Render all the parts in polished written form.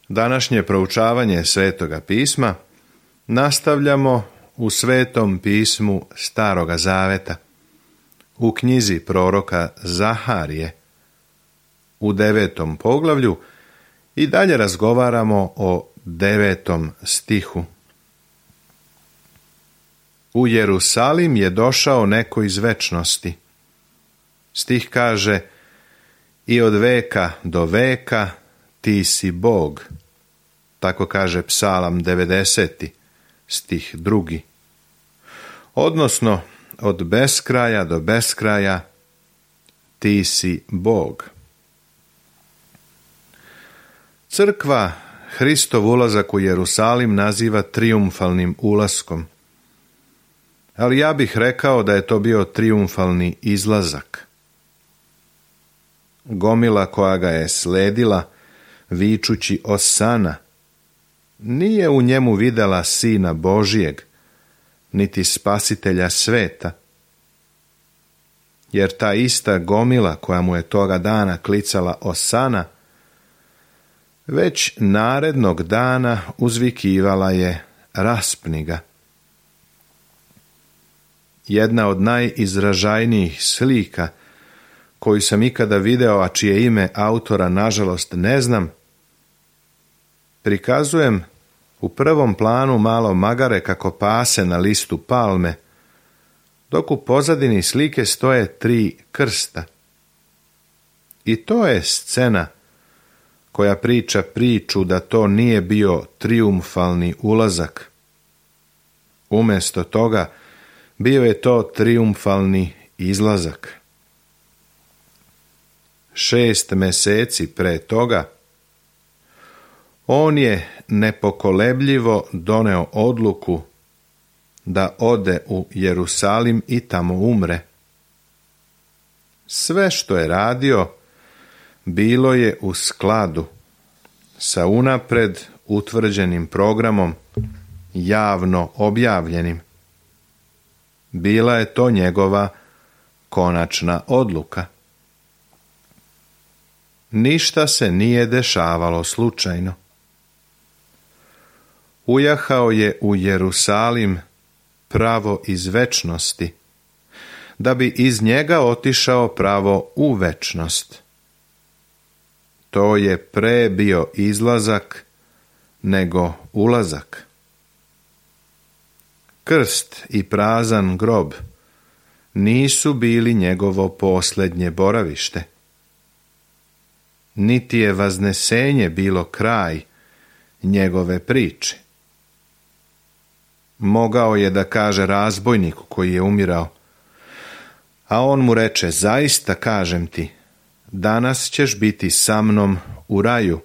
Današnje proučavanje Svetoga pisma nastavljamo u Svetom pismu Staroga Zaveta, u knjizi proroka Zaharije, u 9. poglavlju i dalje razgovaramo o 9. stihu. U Jerusalim je došao neko iz večnosti. Stih kaže: i od veka do veka ti si Bog. Tako kaže Psalam 90. stih 2. Odnosno, od beskraja do beskraja ti si Bog. Crkva Hristov ulazak u Jerusalim naziva trijumfalnim ulaskom, ali ja bih rekao da je to bio trijumfalni izlazak. Gomila koja ga je sledila, vičući Osana, nije u njemu videla Sina Božijeg, niti Spasitelja sveta. Jer ta ista gomila koja mu je toga dana klicala Osana, već narednog dana uzvikivala je raspni ga. Jedna od najizražajnijih slika koju sam ikada video, a čije ime autora nažalost ne znam, prikazujem u prvom planu malo magare kako pase na listu palme, dok u pozadini slike stoje 3 krsta. I to je scena koja priča priču da to nije bio trijumfalni ulazak. Umjesto toga bio je to trijumfalni izlazak. 6 mjeseci pre toga on je nepokolebljivo doneo odluku da ode u Jerusalim i tamo umre. Sve što je radio bilo je u skladu sa unapred utvrđenim programom, javno objavljenim. Bila je to njegova konačna odluka. Ništa se nije dešavalo slučajno. Ujahao je u Jerusalim pravo iz večnosti, da bi iz njega otišao pravo u večnost. To je pre bio izlazak nego ulazak. Krst i prazan grob nisu bili njegovo posljednje boravište. Niti je vaznesenje bilo kraj njegove priče. Mogao je da kaže razbojniku koji je umirao, a on mu reče: zaista kažem ti, danas ćeš biti sa mnom u raju,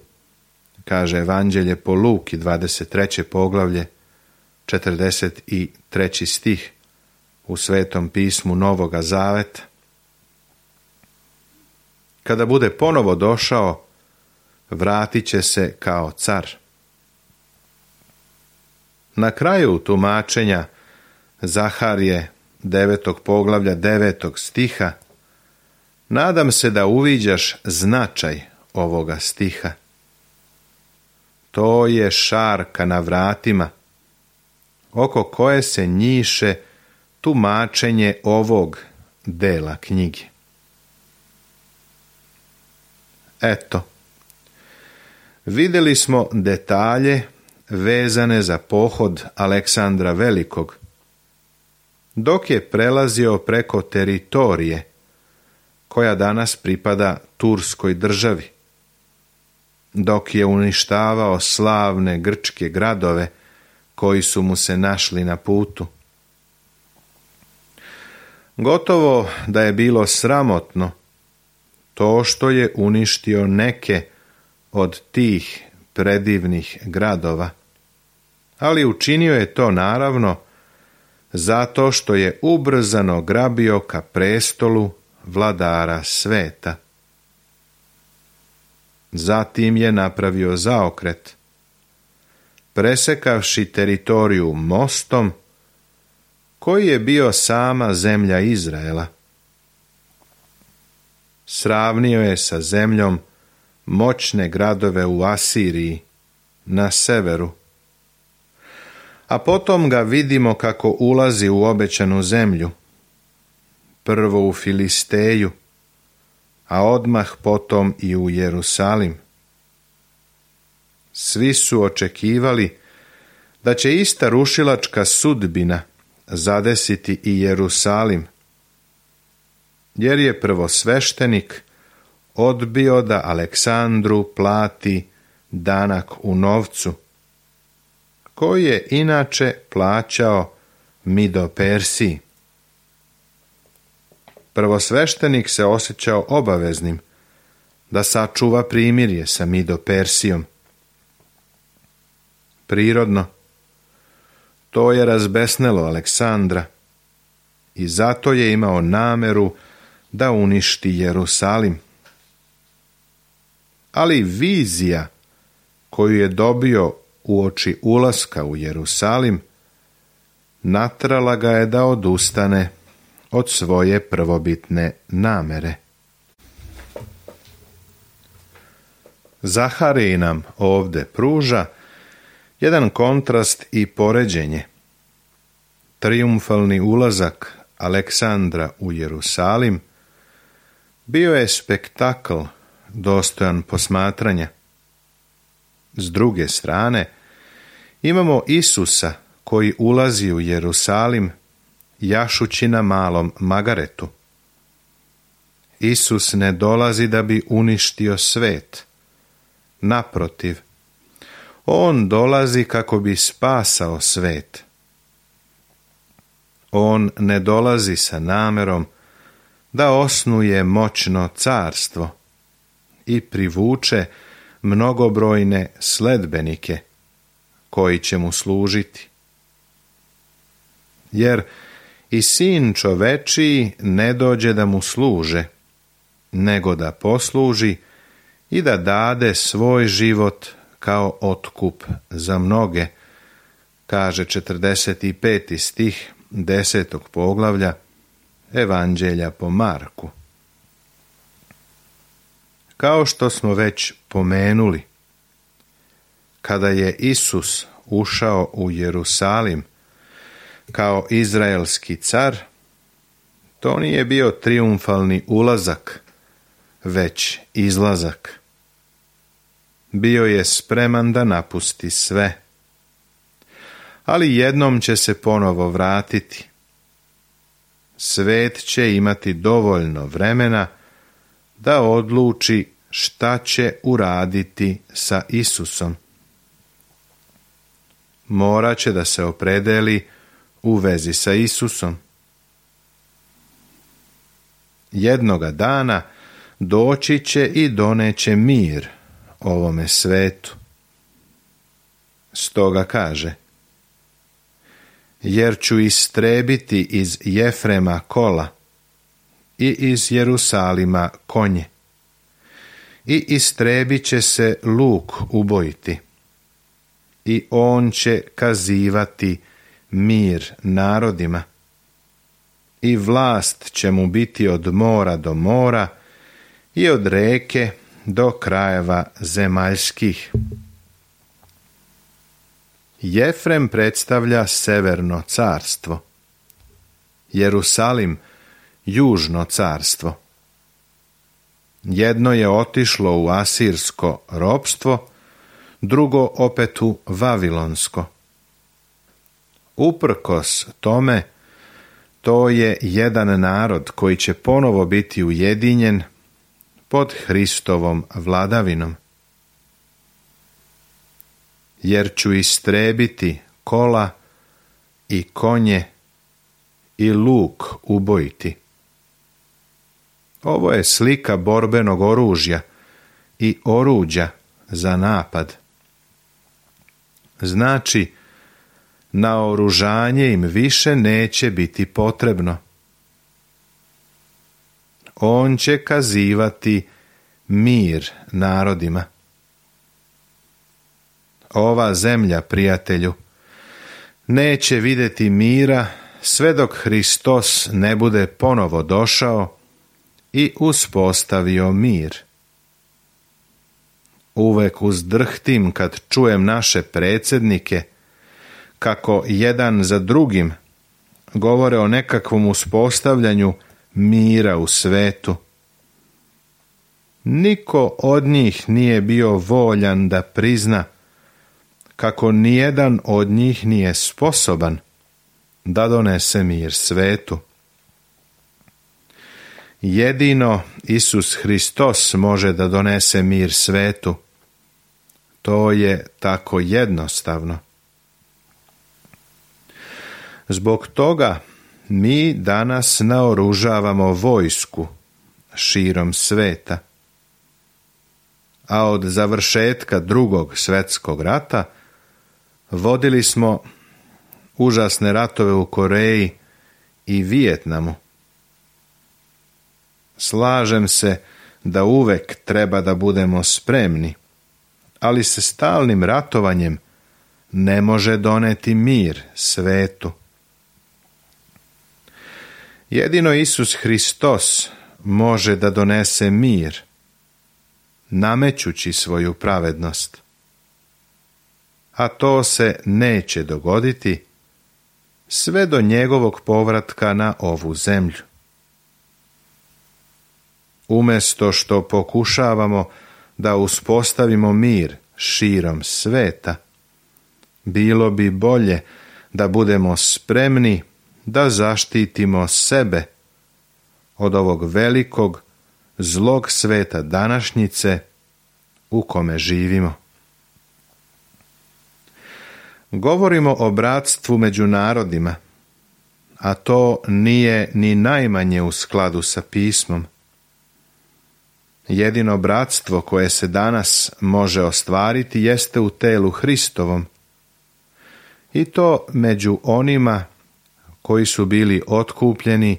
kaže Evanđelje po Luki 23. poglavlje 43. stih u Svetom pismu Novoga Zaveta. Kada bude ponovo došao, vratit će se kao car. Na kraju tumačenja Zaharije 9. poglavlja 9. stiha nadam se da uviđaš značaj ovoga stiha. To je šarka na vratima, oko koje se njiše tumačenje ovog dela knjige. Eto, vidjeli smo detalje vezane za pohod Aleksandra Velikog, dok je prelazio preko teritorije koja danas pripada Turskoj državi, dok je uništavao slavne grčke gradove koji su mu se našli na putu. Gotovo da je bilo sramotno to što je uništio neke od tih predivnih gradova, ali učinio je to naravno zato što je ubrzano grabio ka prestolu vladara sveta. Zatim je napravio zaokret, presekavši teritoriju mostom koji je bio sama zemlja Izraela. Sravnio je sa zemljom moćne gradove u Asiriji, na severu. A potom ga vidimo kako ulazi u obećanu zemlju, prvo u Filisteju, a odmah potom i u Jerusalim. Svi su očekivali da će ista rušilačka sudbina zadesiti i Jerusalim, jer je prvosveštenik odbio da Aleksandru plati danak u novcu, koji je inače plaćao Mido-Persiji. Prvosveštenik se osjećao obaveznim da sačuva primirje sa Mido-Persijom. Prirodno, to je razbesnelo Aleksandra i zato je imao nameru da uništi Jerusalim. Ali vizija koju je dobio uoči ulaska u Jerusalim natrala ga je da odustane od svoje prvobitne namere. Zaharij nam ovdje pruža jedan kontrast i poređenje. Trijumfalni ulazak Aleksandra u Jerusalim bio je spektakl dostojan posmatranja. S druge strane, imamo Isusa koji ulazi u Jerusalim jašući na malom magaretu. Isus ne dolazi da bi uništio svet. Naprotiv, on dolazi kako bi spasao svet. On ne dolazi sa namerom da osnuje moćno carstvo i privuče mnogobrojne sledbenike koji će mu služiti. Jer i sin čovečiji ne dođe da mu služe, nego da posluži i da dade svoj život kao otkup za mnoge, kaže 45. stih 10. poglavlja Evanđelja po Marku. Kao što smo već pomenuli, kada je Isus ušao u Jerusalim kao izraelski car, to nije bio trijumfalni ulazak, već izlazak. Bio je spreman da napusti sve, ali jednom će se ponovo vratiti. Svet će imati dovoljno vremena da odluči šta će uraditi sa Isusom. Morat će da se opredeli u vezi sa Isusom. Jednoga dana doći će i doneće mir ovome svetu. Stoga kaže: jer ću istrebiti iz Jefrema kola i iz Jerusalima konje, i istrebit će se luk ubojiti, i on će kazivati mir narodima, i vlast će mu biti od mora do mora i od reke do krajeva zemaljskih. Jefrem predstavlja severno carstvo, Jerusalim južno carstvo. Jedno je otišlo u asirsko ropstvo, drugo opet u vavilonsko. Uprkos tome, to je jedan narod koji će ponovo biti ujedinjen pod Hristovom vladavinom. Jer ću istrebiti kola i konje i luk ubojiti. Ovo je slika borbenog oružja i oruđa za napad. Znači, naoružanje im više neće biti potrebno. On će kazivati mir narodima. Ova zemlja, prijatelju, neće vidjeti mira sve dok Hristos ne bude ponovo došao i uspostavio mir. Uvek uzdrhtim kad čujem naše predsjednike kako jedan za drugim govore o nekakvom uspostavljanju mira u svetu. Niko od njih nije bio voljan da prizna kako nijedan od njih nije sposoban da donese mir svetu. Jedino Isus Hristos može da donese mir svetu. To je tako jednostavno. Zbog toga mi danas naoružavamo vojsku širom sveta. A od završetka Drugog svjetskog rata vodili smo užasne ratove u Koreji i Vijetnamu. Slažem se da uvek treba da budemo spremni, ali se stalnim ratovanjem ne može doneti mir svetu. Jedino Isus Hristos može da donese mir, namećući svoju pravednost. A to se neće dogoditi sve do njegovog povratka na ovu zemlju. Umjesto što pokušavamo da uspostavimo mir širom sveta, bilo bi bolje da budemo spremni da zaštitimo sebe od ovog velikog zlog sveta današnjice u kome živimo. Govorimo o bratstvu među narodima, a to nije ni najmanje u skladu sa pismom. Jedino bratstvo koje se danas može ostvariti jeste u telu Hristovom, i to među onima koji su bili otkupljeni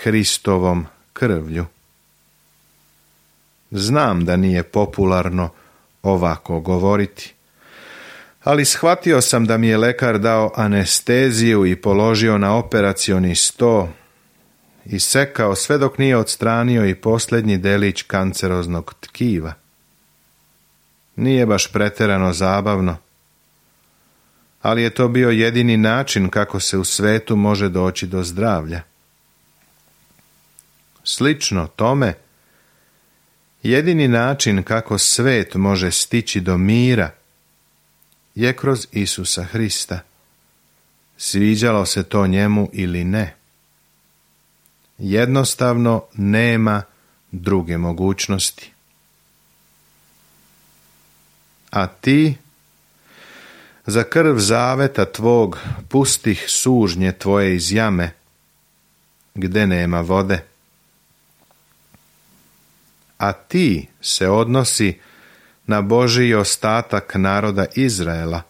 Hristovom krvlju. Znam da nije popularno ovako govoriti, ali shvatio sam da mi je lekar dao anesteziju i položio na operacioni sto i sekao sve dok nije odstranio i posljednji delić kanceroznog tkiva. Nije baš pretjerano zabavno, ali je to bio jedini način kako se u svetu može doći do zdravlja. Slično tome, jedini način kako svet može stići do mira je kroz Isusa Hrista, sviđalo se to njemu ili ne. Jednostavno nema druge mogućnosti. A ti, za krv zaveta tvog pustih sužnje tvoje iz jame, gde nema vode. A ti se odnosi na Božji ostatak naroda Izraela,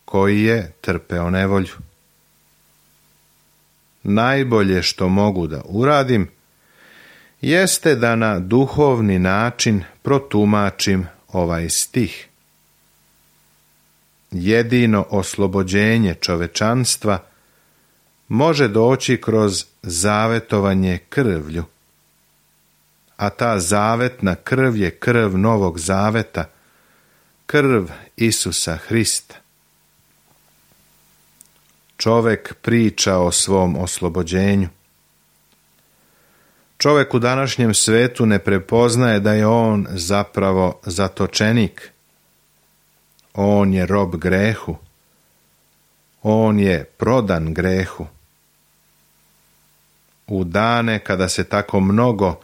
koji je trpeo nevolju. Najbolje što mogu da uradim jeste da na duhovni način protumačim ovaj stih. Jedino oslobođenje čovečanstva može doći kroz zavetovanje krvlju, a ta zavetna krv je krv Novog Zaveta, krv Isusa Hrista. Čovek priča o svom oslobođenju. Čovek u današnjem svetu ne prepoznaje da je on zapravo zatočenik. On je rob grehu. On je prodan grehu. U dane kada se tako mnogo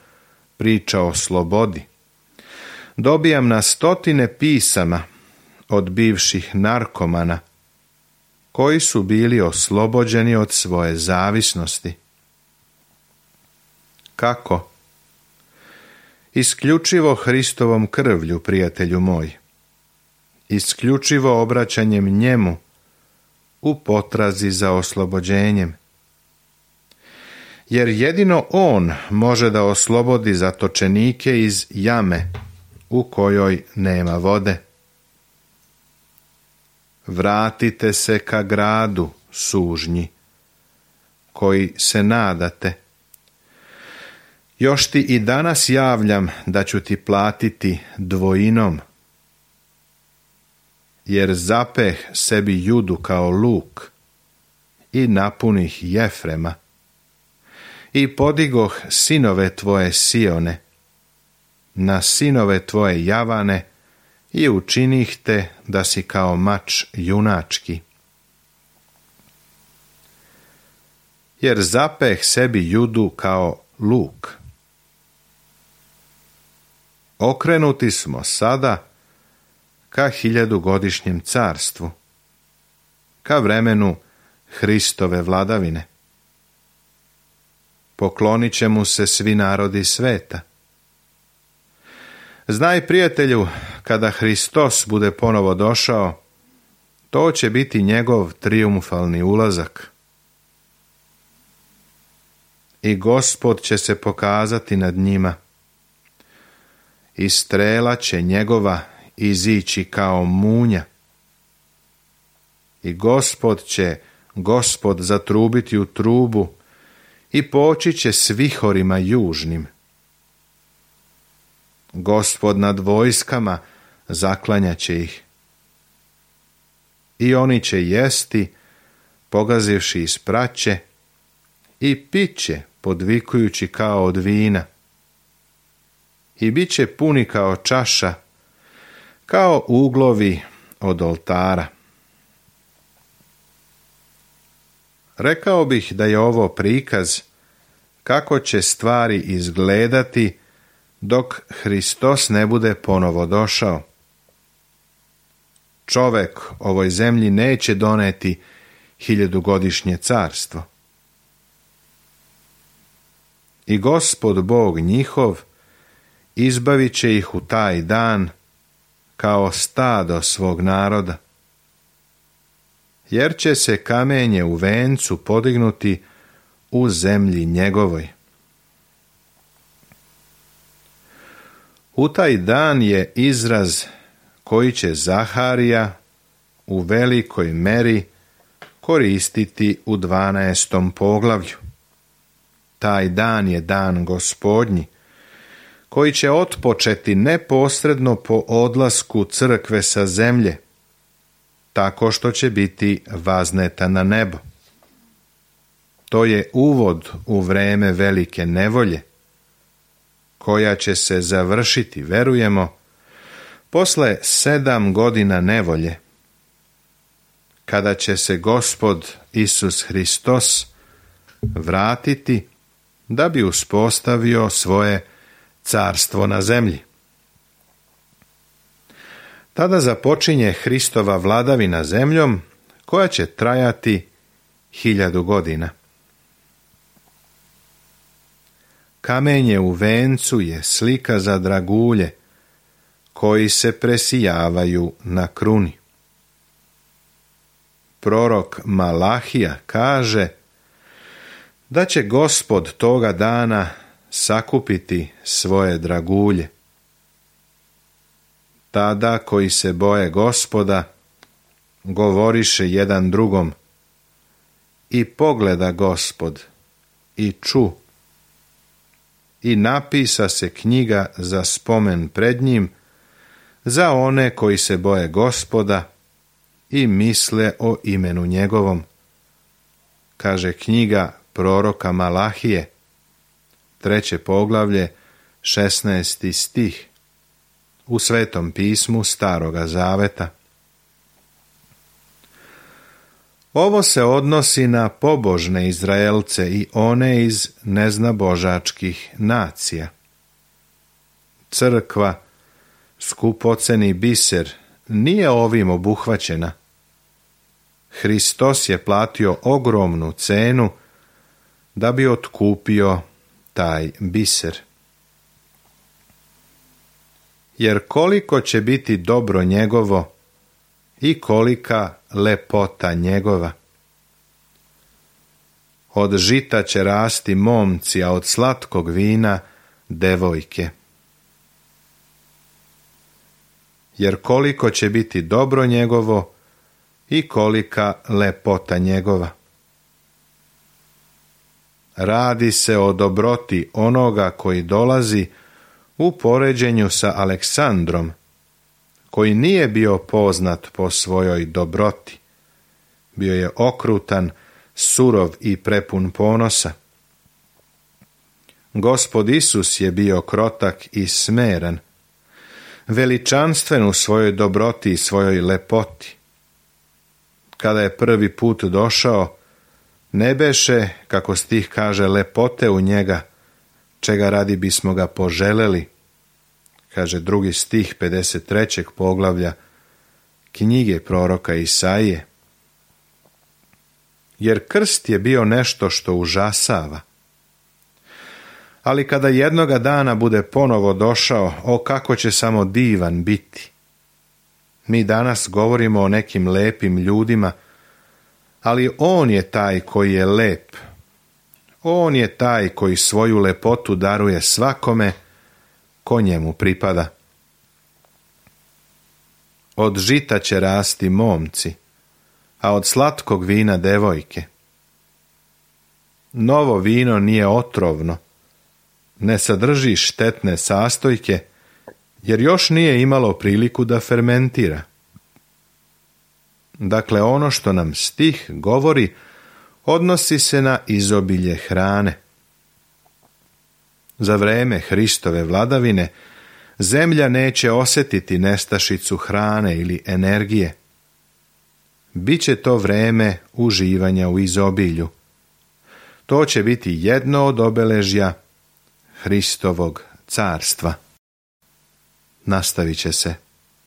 priča o slobodi, dobijam na stotine pisama od bivših narkomana koji su bili oslobođeni od svoje zavisnosti. Kako? Isključivo Hristovom krvlju, prijatelju moj. Isključivo obraćanjem njemu u potrazi za oslobođenjem. Jer jedino on može da oslobodi zatočenike iz jame u kojoj nema vode. Vratite se ka gradu, sužnji, koji se nadate. Još ti i danas javljam da ću ti platiti dvojinom, jer zapeh sebi Judu kao luk i napunih Jefrema i podigoh sinove tvoje Sione na sinove tvoje Javane i učinih te da si kao mač junački. Jer zapeh sebi Judu kao luk. Okrenuti smo sada ka 1000-godišnjem carstvu, ka vremenu Hristove vladavine. Poklonit će mu se svi narodi sveta. Znaj, prijatelju, kada Hristos bude ponovo došao, to će biti njegov trijumfalni ulazak. I Gospod će se pokazati nad njima. I strela će njegova izići kao munja. I Gospod zatrubiti u trubu i poći će s vihorima južnim. Gospod nad vojskama zaklanjaće ih. I oni će jesti, pogazivši iz praće, i piće, podvikujući kao od vina. I bit će puni kao čaša, kao uglovi od oltara. Rekao bih da je ovo prikaz kako će stvari izgledati dok Hristos ne bude ponovo došao. Čovek ovoj zemlji neće doneti 1000-godišnje carstvo. I Gospod Bog njihov izbavit će ih u taj dan kao stado svog naroda. Jer će se kamenje u vencu podignuti u zemlji njegovoj. U taj dan je izraz koji će Zaharija u velikoj meri koristiti u 12. poglavlju. Taj dan je dan Gospodnji, koji će otpočeti neposredno po odlasku crkve sa zemlje, tako što će biti vazneta na nebo. To je uvod u vreme velike nevolje, koja će se završiti, verujemo, posle 7 godina nevolje, kada će se Gospod Isus Hristos vratiti da bi uspostavio svoje carstvo na zemlji. Tada započinje Hristova vladavina zemljom, koja će trajati 1000 godina. Kamenje u vencu je slika za dragulje, koji se presijavaju na kruni. Prorok Malahija kaže da će Gospod toga dana sakupiti svoje dragulje. Tada koji se boje Gospoda govoriše jedan drugom: i pogleda Gospod i ču. I napisa se knjiga za spomen pred njim za one koji se boje Gospoda i misle o imenu njegovom. Kaže knjiga proroka Malahije, 3. poglavlje, 16. stih, u Svetom pismu Staroga Zaveta. Ovo se odnosi na pobožne Izraelce i one iz neznabožačkih nacija. Crkva, skupoceni biser, nije ovim obuhvaćena. Hristos je platio ogromnu cenu da bi otkupio taj biser. Jer koliko će biti dobro njegovo i kolika lepota njegova. Od žita će rasti momci, a od slatkog vina devojke. Jer koliko će biti dobro njegovo i kolika lepota njegova. radi se o dobroti onoga koji dolazi u poređenju sa Aleksandrom, koji nije bio poznat po svojoj dobroti. Bio je okrutan, surov i prepun ponosa. Gospod Isus je bio krotak i smeran, veličanstven u svojoj dobroti i svojoj lepoti. Kada je prvi put došao, ne beše, kako stih kaže, lepote u njega, čega radi bismo ga poželeli, kaže drugi stih 53. poglavlja knjige proroka Isaije. Jer krst je bio nešto što užasava. Ali kada jednoga dana bude ponovo došao, o kako će samo divan biti. Mi danas govorimo o nekim lepim ljudima, ali on je taj koji je lep. On je taj koji svoju lepotu daruje svakome ko njemu pripada. Od žita će rasti momci, a od slatkog vina devojke. Novo vino nije otrovno, ne sadrži štetne sastojke, jer još nije imalo priliku da fermentira. Dakle, ono što nam stih govori odnosi se na izobilje hrane. Za vreme Hristove vladavine zemlja neće osjetiti nestašicu hrane ili energije. Biće to vreme uživanja u izobilju. To će biti jedno od obeležja Hristovog carstva. Nastavit će se.